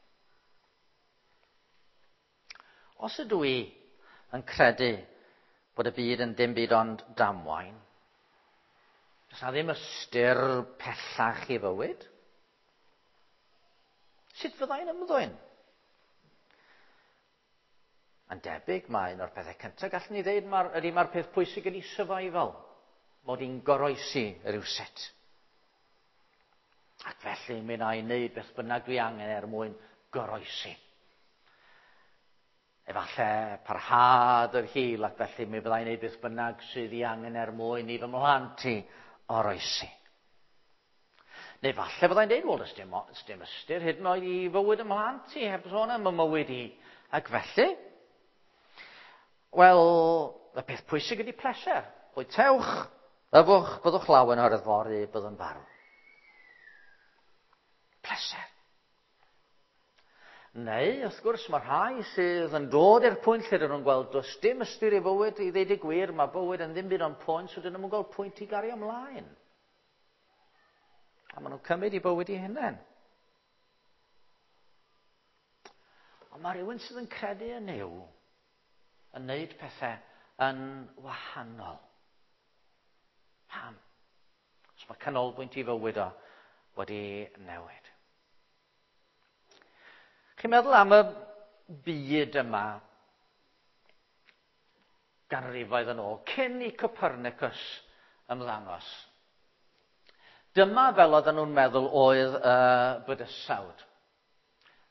Os ydw i yn credu bod y byd yn dim byd ond damwain, Does na ddim ystyr pellach i fywyd. Sut fyddai'n ymddwyn? Yn debyg, mae un o'r pethau cyntaf gallwn ni ddeud ydy mae'r peth pwysig ydy survival. Mod i'n goroesi rhywsut. Ac felly mi wna i wneud beth bynnag dwi angen er mwyn goroesi. Efallai parhad yr hil ac felly mi fyddai'n gwneud beth bynnag sydd i angen er mwyn i fy mhlant i oroesi. Neu falle fyddai'n dweud, wel, does dim, dim ystyr hyd yn oed i fywyd y mhlant i, heb sôn am y mywyd i. Ac felly, wel, y peth pwysig ydy pleser. Bwytewch, yfwch, byddwch lawen oherwydd fory, byddwn farw. Pleser. Neu, wrth gwrs, mae rhai sydd yn dod i'r pwynt lle dyn nhw'n gweld does dim ystyr i fywyd, i ddeud y gwir, mae bywyd yn ddim byd ond pwynt, so dyn nhw'n gweld pwynt i gario ymlaen. A maen nhw'n cymryd i bywyd i hunain. Ond mae rhywun sydd yn credu yn Nuw yn neud pethau yn wahanol. Pam? Os mae canolbwynt i fywyd o wedi newid. Chi'n meddwl am y byd yma ganrifoedd yn ôl, cyn i Copernicus ymddangos. Dyma fel oedden nhw'n meddwl oedd y bydysawd.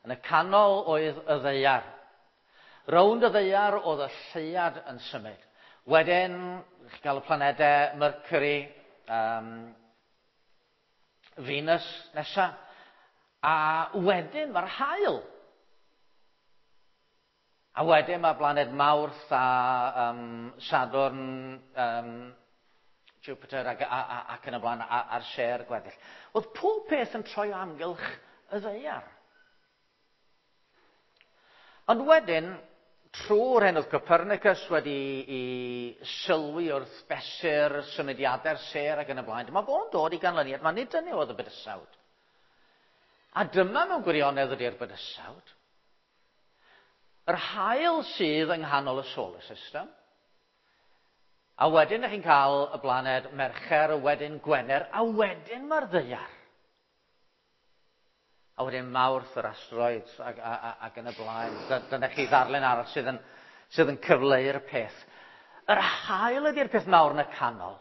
Yn y canol oedd y ddaear. Rownd y ddaear oedd y lleuad yn symud. Wedyn, chi'n cael y planedau Mercury, Venus nesa. A wedyn mae'r haul. A wedyn mae blaned Mawrth a Sadwrn, Jupiter ac, a, a, ac yn y blaen a'r sêr gweddill. Oedd pob peth yn troi o amgylch y ddaear. Ond wedyn, trwy'r hyn oedd Copernicus wedi i sylwi wrth fesur symudiadau'r sêr ac yn y blaen, dyma fo'n dod i ganlyniad, mae nid dyna oedd y bydysawd. A dyma mewn gwirionedd ydy'r bydysawd. Yr haul sydd yng nghanol y solar system. A wedyn ych chi'n cael y blaned Mercher, a wedyn Gwener, a wedyn mae'r ddaear. A wedyn Mawrth, yr asteroids, ac, a, ac yn y blaen. Dyna chi ddarlun arall sydd yn, sydd yn cyfleu'r peth. Yr haul ydy'r peth mawr yn y canol.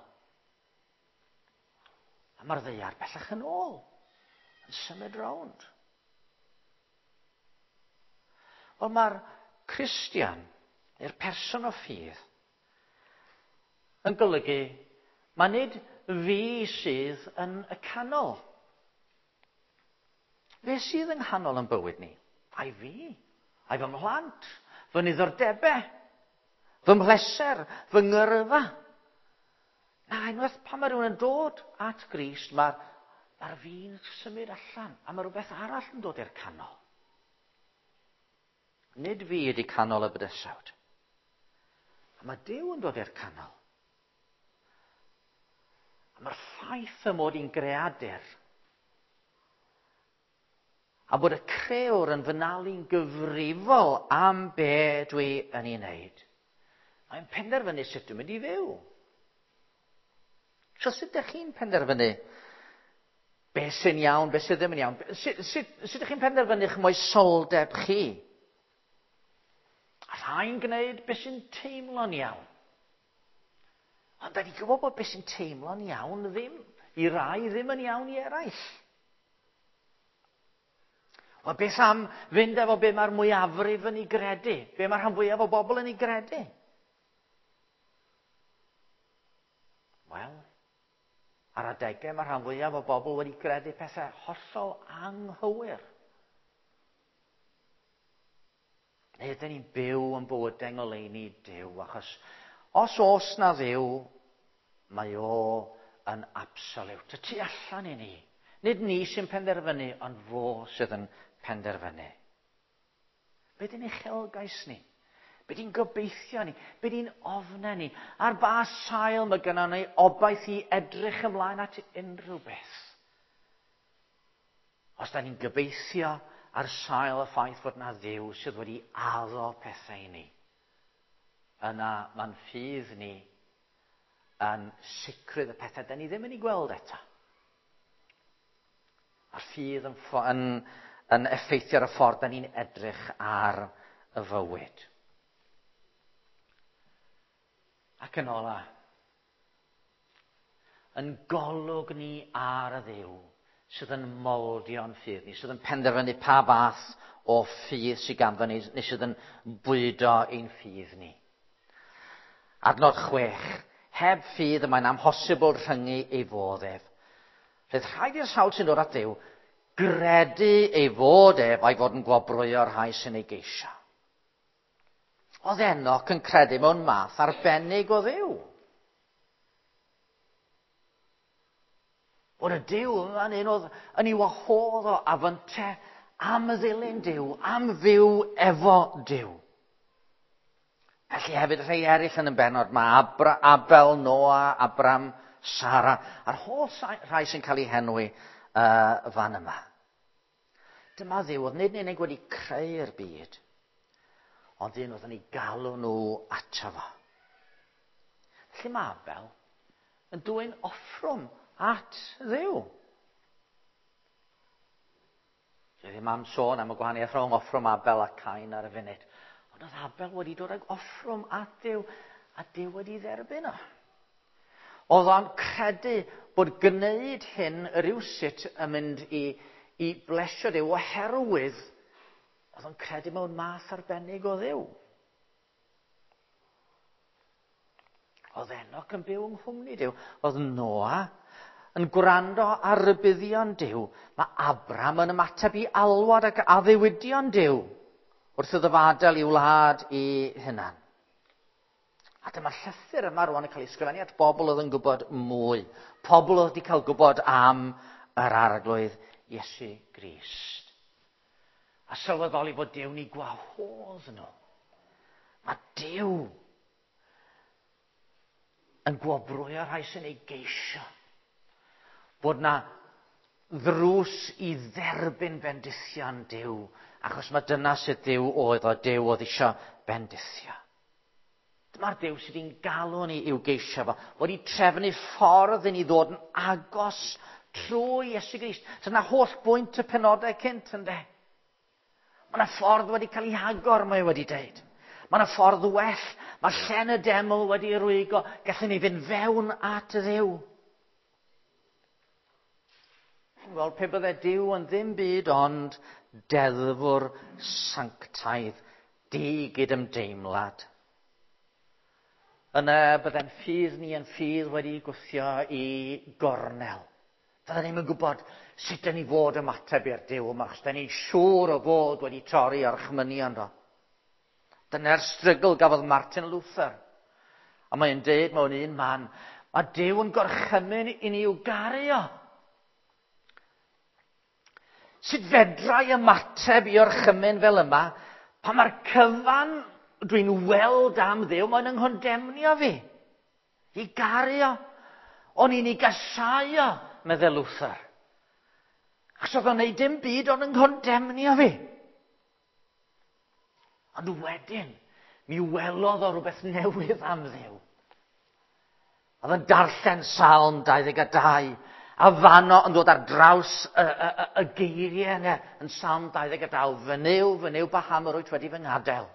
A mae'r ddaear bellach yn ôl, yn symud rownd. Wel, mae'r Cristion, neu'r person o ffydd, yn golygu mae nid fi sydd yn y canol. Fe sydd yng nghanol yn bywyd ni? Ai fi? Ai fy mhlant? Fy niddordebau? Fy mhleser? Fy ngyrfa? Na, unwaith pan mae rhywun yn dod at Grist, mae'r mae fi'n symud allan, a mae rhywbeth arall yn dod i'r canol. Nid fi ydy canol y bydysawd. A mae Duw yn dod i'r canol. A mae'r ffaith y mod i'n greadur a bod y crewr yn fy nalu'n gyfrifol am be dwi yn ei wneud. Mae'n penderfynu sut dwi'n mynd i fyw. So sut ydych chi'n penderfynu be sy'n iawn, be sydd ddim yn iawn? Sut, sut, sut ydych chi'n penderfynu'ch moesoldeb chi? A rhai'n gwneud be sy'n teimlo'n iawn. Ond da ni'n gwybod bod be sy'n teimlo'n iawn ddim, i rai ddim yn iawn i eraill. Wel, beth am fynd efo be mae'r mwyafrif yn ei gredu? Be mae'r rhan fwyaf o bobl yn ei gredu? Wel, ar adegau mae'r rhan fwyaf o bobl wedi gredu pethau hollol anghywir. Neu ydyn ni'n byw yn bywydau ngoleuni Duw, achos os oes na Dduw, mae o yn absolute, y tu allan i ni. Nid ni sy'n penderfynu, ond fo sydd yn penderfynu. Be di'n uchelgais ni? Be di'n gobeithio ni? Be di'n ofnau ni? Ar ba sail mae gynnon ni obaith i edrych ymlaen at unrhyw beth? Os da ni'n gobeithio ar sail y ffaith fod na Dduw sydd wedi addo pethau i ni, yna mae'n ffydd ni yn sicrwydd y pethau da ni ddim yn ei gweld eto. A'r ffydd yn effeithio ar y ffordd da ni'n edrych ar y fywyd. Ac yn ola, yn golwg ni ar y Dduw sydd yn moldio'n ffydd ni, sydd yn penderfynu pa fath o ffydd sydd ganddo ni, neu sydd yn bwydo ein ffydd ni. Adnod 6. Heb ffydd y mae'n amhosibl rhyngu ei fodd ef. Roedd rhaid i'r sawl sy'n dod at Dduw gredu ei fod ef a'i fod yn gwobrwyo'r rhai sy'n ei geisio. Oedd Enoch yn credu mewn math arbennig o Dduw. Bod y Duw yma'n un oedd yn ei wahodd o a fynte am ddilyn Duw, am fyw efo Duw. Felly hefyd rhai eraill yn y bennod, mae Abel, Noa, Abram, Sara, a'r holl rhai sy'n cael eu henwi fan yma. Dyma Dduw oedd nid yn unig wedi creu'r byd, ond un oedd yn ei galw nhw ato fo. Felly mae Abel yn dwyn offrwm at Dduw. Dwi ddim am sôn am y gwahaniaeth rhwng offrwm Abel a Cain ar y funud. Ond oedd Abel wedi dod ag offrwm at Dduw, a Duw wedi dderbyn o. Oedd o'n credu bod gwneud hyn rywsut yn mynd i blesio Duw, oherwydd oedd o'n credu mewn math arbennig o Dduw. Oedd Enoch yn byw yng nghwmni Duw. Oedd Noa yn gwrando ar rybuddion Duw. Mae Abram yn ymateb i alwad ac addewidion Duw wrth iddo fo adael i'w wlad i hunan. A dyma'r llythyr yma rwan yn cael ei ysgrifennu at bobl oedd yn gwybod mwy. Pobl oedd wedi cael gwybod am yr Arglwydd Iesu Grist. A sylweddoli fod Duw'n eu gwahodd nhw. Mae Duw yn gwobrwyo rhai sy'n ei geisio. Bod na ddrws i dderbyn bendithion Duw, achos mae dyna sut Duw oedd o, Duw oedd eisiau bendithio. Dyma'r Duw sydd wedi'n galw ni i'w geisio fo, wedi trefnu ffordd i ni ddod yn agos trwy Iesu Grist. Dyna holl bwynt y penodau cynt, ynde? Mae yna ffordd wedi cael ei hagor, mae wedi deud. Mae yna ffordd well, mae llen y deml wedi ei rwygo, gallwn ni fynd fewn at y Dduw. Wel, pe bydde Duw yn ddim byd ond deddfwr sanctaidd, digydymdeimlad. Yna bydde'n ffydd ni yn ffydd wedi gwthio i gornel. Fydden ni'm yn gwybod sut dyn ni fod ymateb i'r Duw yma, achos dyn ni'n siŵr o fod wedi torri orchmynion do. Dyna'r strygl gafodd Martin Luther. A mae'n deud mewn un man, mae Duw yn gorchymyn i ni i'w garu o. Sut fedra i ymateb i orchymyn fel yma, pan mae'r cyfan dwi'n weld am Dduw, mae'n yng nghondemnio fi. I garu o. O'n i'n ei gasau o, meddai Luther. Achos oedd o'n neud dim byd ond yn nghondemnio fi. Ond wedyn, mi welodd o rhywbeth newydd am Dduw. Oedd yn darllen Salm 22, a fanno yn dod ar draws y geiriau yna yn Salm 22, fy Nuw, fy Nuw, paham yr wyt wedi fy ngadael.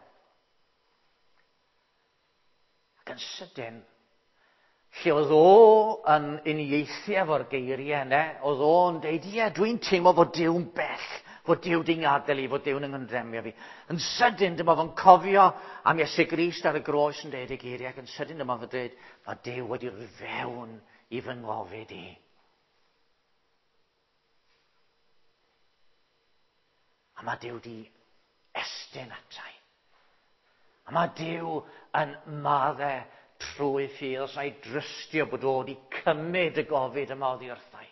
Ac yn sydyn, lle oedd o yn uniaethu efo'r geiriau yna, oedd o'n deud, ie, dwi'n teimlo fod Duw'n bell, fod Duw di'n gadael i, fod Duw'n yng nghondemnio fi. Yn sydyn, dyma fo'n cofio am Iesu Grist ar y groes yn deud y geiriau, ac yn sydyn dyma fo'n deud, mae Duw wedi rhoi fewn i fy ngofid i. A mae Duw di estyn atai. A mae Duw yn maddau trwy ffydd, os na'i drystio bod o wedi cymryd y gofid yma oddi wrthai.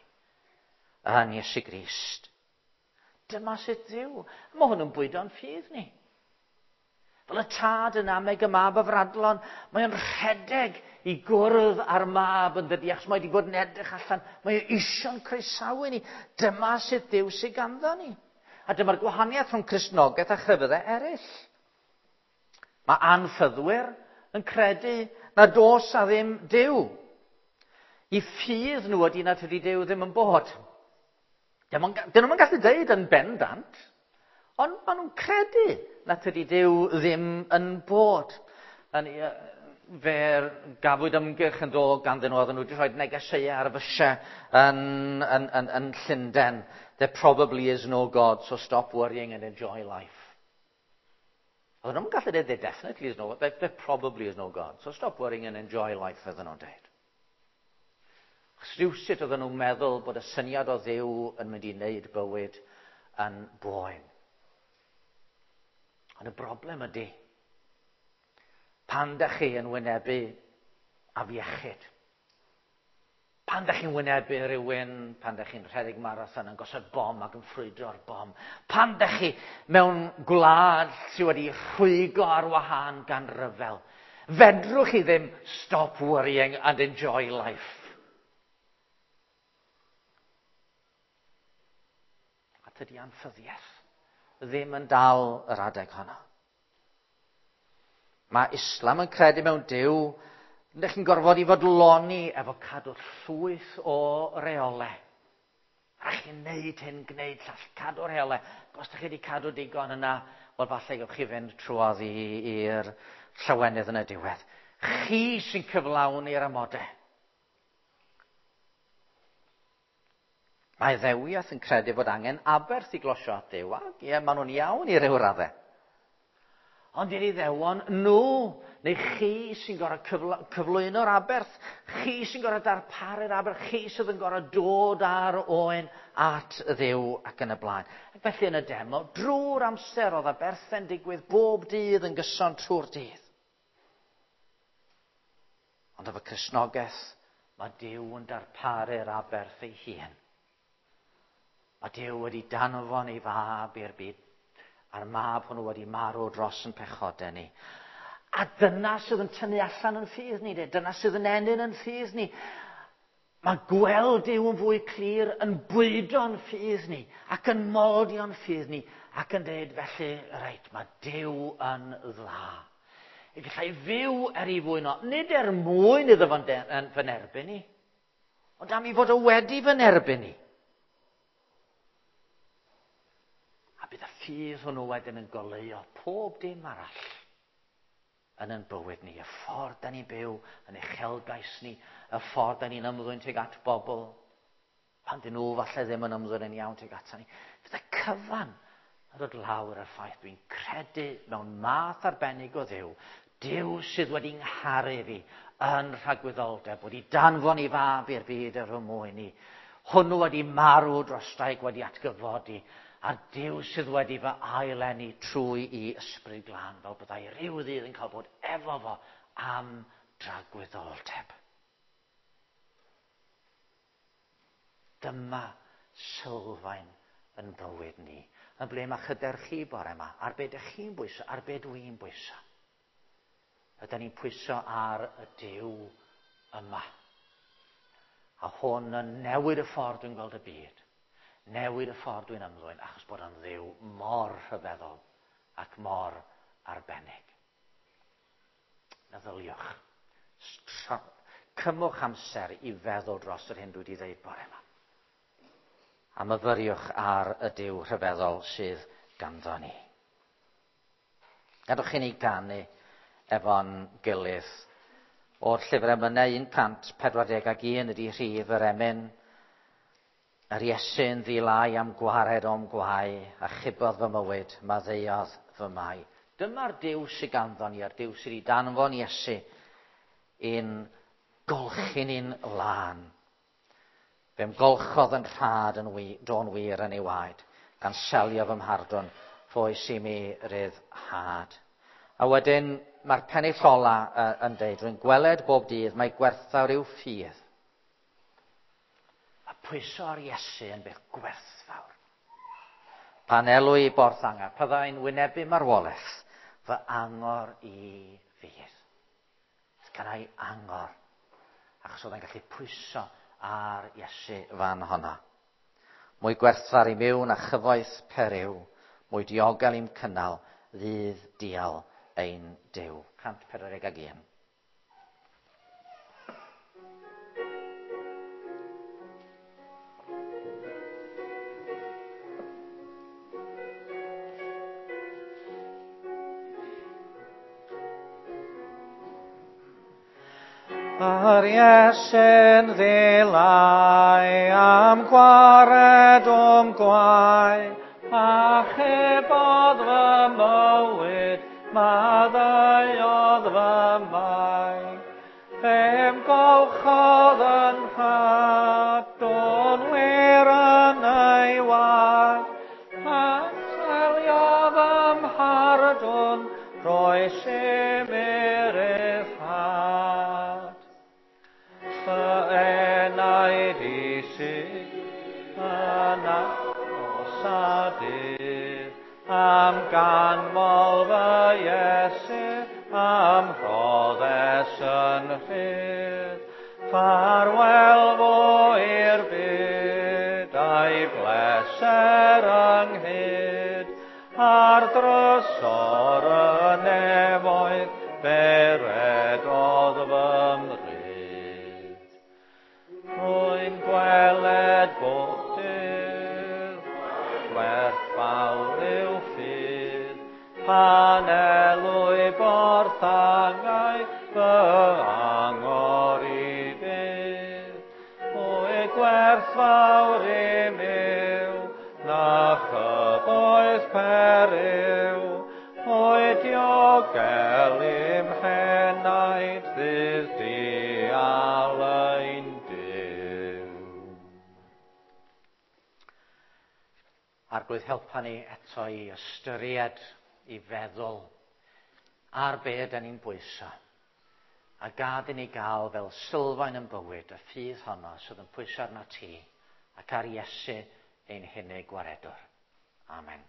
Yn Iesu Grist. Dyma sut Dduw. Mae hwn yn bwydo'n ffydd ni. Fel y tad yn ameg y mab afradlon, mae o'n rhedeg i gwrdd â'r mab yn dydi, achos mae wedi bod yn edrych allan, mae o isio'n croesawu ni. Dyma sut Dduw sydd ganddo ni. A dyma'r gwahaniaeth rhwng Cristnogaeth a chrefyddau eraill. Mae anffyddwyr yn credu nad oes a ddim Duw. I ffydd nhw ydy nad ydy Duw ddim yn bod. Dyn nhw'n gallu deud yn bendant, ond maen nhw'n credu nad ydy Duw ddim yn bod. Fe gafwyd ymgyrch yn dod ganddyn nhw, oedden nhw wedi rhoi negeseuau ar y fysiau yn Llundain. There probably is no God, so stop worrying and enjoy life. Oedden nhw'n gallu dweud, there definitely is no, there probably is no God, so stop worrying and enjoy life, oedden nhw'n dweud. Achos rhywsut oedden nhw'n meddwl bod y syniad o Dduw yn mynd i wneud bywyd yn boen. Ond y broblem ydy, pan dach chi yn wynebu afiechyd, pan dach chi'n wynebu rhywun, pan dach chi'n rhedeg marathon yn gosod bom ac yn ffrwydro'r bom, pan dach chi mewn gwlad sydd wedi rhwygo ar wahân gan ryfel, fedrwch chi ddim stop worrying and enjoy life. A tydi anffyddiaeth ddim yn dal yr adeg honno. Mae Islam yn credu mewn Duw, ydych chi'n gorfod i fodloni efo cadw llwyth o reolau. A chi'n neud hyn, gwneud llall, cadw reolau. Os ydych chi wedi cadw digon yna, wel falle gewch chi fynd trwodd i'r llawenydd yn y diwedd. Chi sy'n cyflawni'r amodau. Mae ddewiaeth yn credu bod angen aberth i glosio at Dduw, ac ie, maen nhw'n iawn i ryw raddau. Ond i'r Iddewon, nhw, neu chi sy'n gorfod cyflwyno'r aberth, chi sy'n gorfod darparu'r aberth, chi sydd yn gorfod dod ar oen at Dduw ac yn y blaen. Ac felly yn y deml, drwy'r amser oedd aberthau'n digwydd bob dydd yn gyson trwy'r dydd. Ond efo Cristnogaeth, mae Duw yn darparu'r aberth ei hun. Mae Duw wedi danfon ei fab i'r byd, a'r mab hwnnw wedi marw dros yn pechodau ni. A dyna sydd yn tynnu allan yn ffydd ni, dyna sydd yn ennyn yn ffydd ni. Mae gweld Duw yn fwy clir yn bwydo'n ffydd ni, ac yn moldio'n ffydd ni, ac yn dweud felly, reit, mae Duw yn dda. Y gallai fyw er ei fwyn o, nid er mwyn iddo fo'n fy nerbyn ni, ond am ei fod o wedi fy nerbyn ni. A bydd y ffydd hwnnw wedyn yn goleuo pob dim arall yn ein bywyd ni. Y ffordd da ni'n byw, yn uchelgais ni, y ffordd da ni'n ymddwyn tuag at bobl, pan dyn nhw falle ddim yn ymddwyn yn iawn tuag ata ni. Fydd y cyfan yn dod lawr ar ffaith dwi'n credu mewn math arbennig o Dduw, Duw sydd wedi ngharu fi yn rhagwyddoldeb, wedi danfon i fab i'r byd er fy mwyn i. Hwnnw wedi marw dros draig, wedi atgyfodi, a'r Duw sydd wedi fy aileni trwy i ysbryd glân, fel byddai rhyw ddydd yn cael bod efo fo am dragwyddoldeb. Dyma sylfaen yn bywyd ni. Yn ble mae hyder chi bore yma, ar be dych chi'n bwyso, ar be dwi'n bwyso. Ydyn ni'n pwyso ar y Duw yma. A hwn yn newid y ffordd dwi'n gweld y byd. Newid y ffordd dwi'n ymddwyn, achos bod o'n Dduw mor rhyfeddol ac mor arbennig. Meddyliwch. Cymwch amser i feddwl dros yr hyn dwi wedi dweud bore yma. A myfyriwch ar y Duw rhyfeddol sydd ganddo ni. Gadwch i ni ganu efo'n gilydd. O'r llyfr emynau 141 ydy rhif yr emyn. Yr Iesu'n ddilai am gwared o'm gwae, a chubodd fy mywyd, maddeuodd fy mai. Dyma'r Duw sydd ganddo ni, a'r Duw sydd wedi danfon Iesu i'n golchi ni'n lân. Fe'm golchodd yn rhad yn do'n wir yn ei waed, gan selio fy mhardwn, rhoes i mi ryddhad. A wedyn mae'r pennill ola yn deud, rwy'n gweled bob dydd mae gwerthfawr yw ffydd. Mae pwyso ar Iesu yn beth gwerthfawr. Pan elw i borth angau, byddai'n wynebu marwolaeth, fy angor i fydd. Gan ei angor, achos oedd e'n gallu pwyso ar Iesu fan honna. Mwy gwerthfawr i miwn a chyfoeth periw, mwy diogel i'm cynnal, ddydd dial ein Duw. 141. Yr Iesu'n ddilai am gwared o'm gwae, achubodd fy mywyd, maddeuodd fy mai. Fe'm golchodd yn rhad, o'n wir yn ei waed, a seliodd ym mhardwn, rhoes i mi ryddhad. Fy enaid i sydd yn aros a dydd, am ganmol fy Iesu, am rhoddes yn rhydd. Ffarwel fo i'r byd, a'i bleser ynghyd, ar drysor y nefoedd, fe redodd fy mryd. Rwy'n gweled bob dydd, gwerthfawr yw ffydd, pan elwy borth angau, fy angor i fydd. Mwy gwerthfawr im yw, na chyfoeth periw, mwy diogel i'm henaid ddydd dial ein Duw. Arglwydd, helpa ni eto i ystyried, i feddwl ar be ydan ni'n bwyso. A gad i ni gael fel sylfaen yn bywyd y ffydd honno sydd yn pwyso arno ti ac ar Iesu ein hunig gwaredwr. Amen.